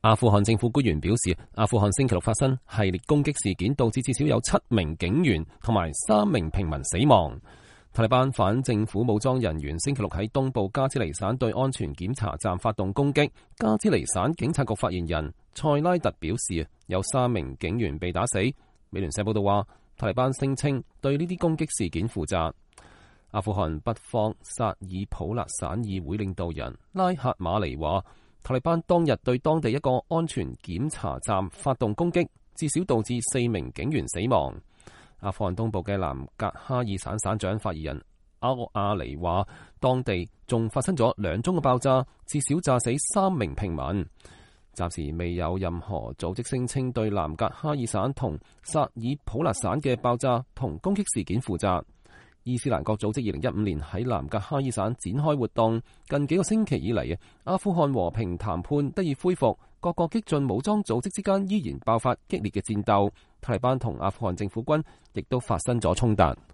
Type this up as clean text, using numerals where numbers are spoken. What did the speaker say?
阿富汗政府官員表示，阿富汗星期六發生系列攻擊事件，導致至少有7名警員同埋3名平民死亡。塔利班反政府武裝人員星期六喺東部加茲尼省對安全檢查站發動攻擊。加茲尼省警察局發言人塞拉特表示，有3名警員被打死。美聯社報道話，塔利班聲稱對呢啲攻擊事件負責。阿富汗北方薩爾普勒省議會領導人拉赫馬尼話，塔利班當日對當地一個安全檢查站發動攻擊，至少導致4名警員死亡。阿富汗東部嘅南格哈爾省省長發言人奧亞尼話，當地仲發生咗2宗嘅爆炸，至少炸死3名平民。暫時未有任何組織聲稱對南格哈爾省同薩爾普勒省嘅爆炸同攻擊事件負責。伊斯蘭國組織2015年喺南格哈爾省展開活動，近幾個星期以嚟，阿富汗和平談判得以恢復，各個激進武裝組織之間依然爆發激烈嘅戰鬥，塔利班同阿富汗政府軍亦都發生咗衝突。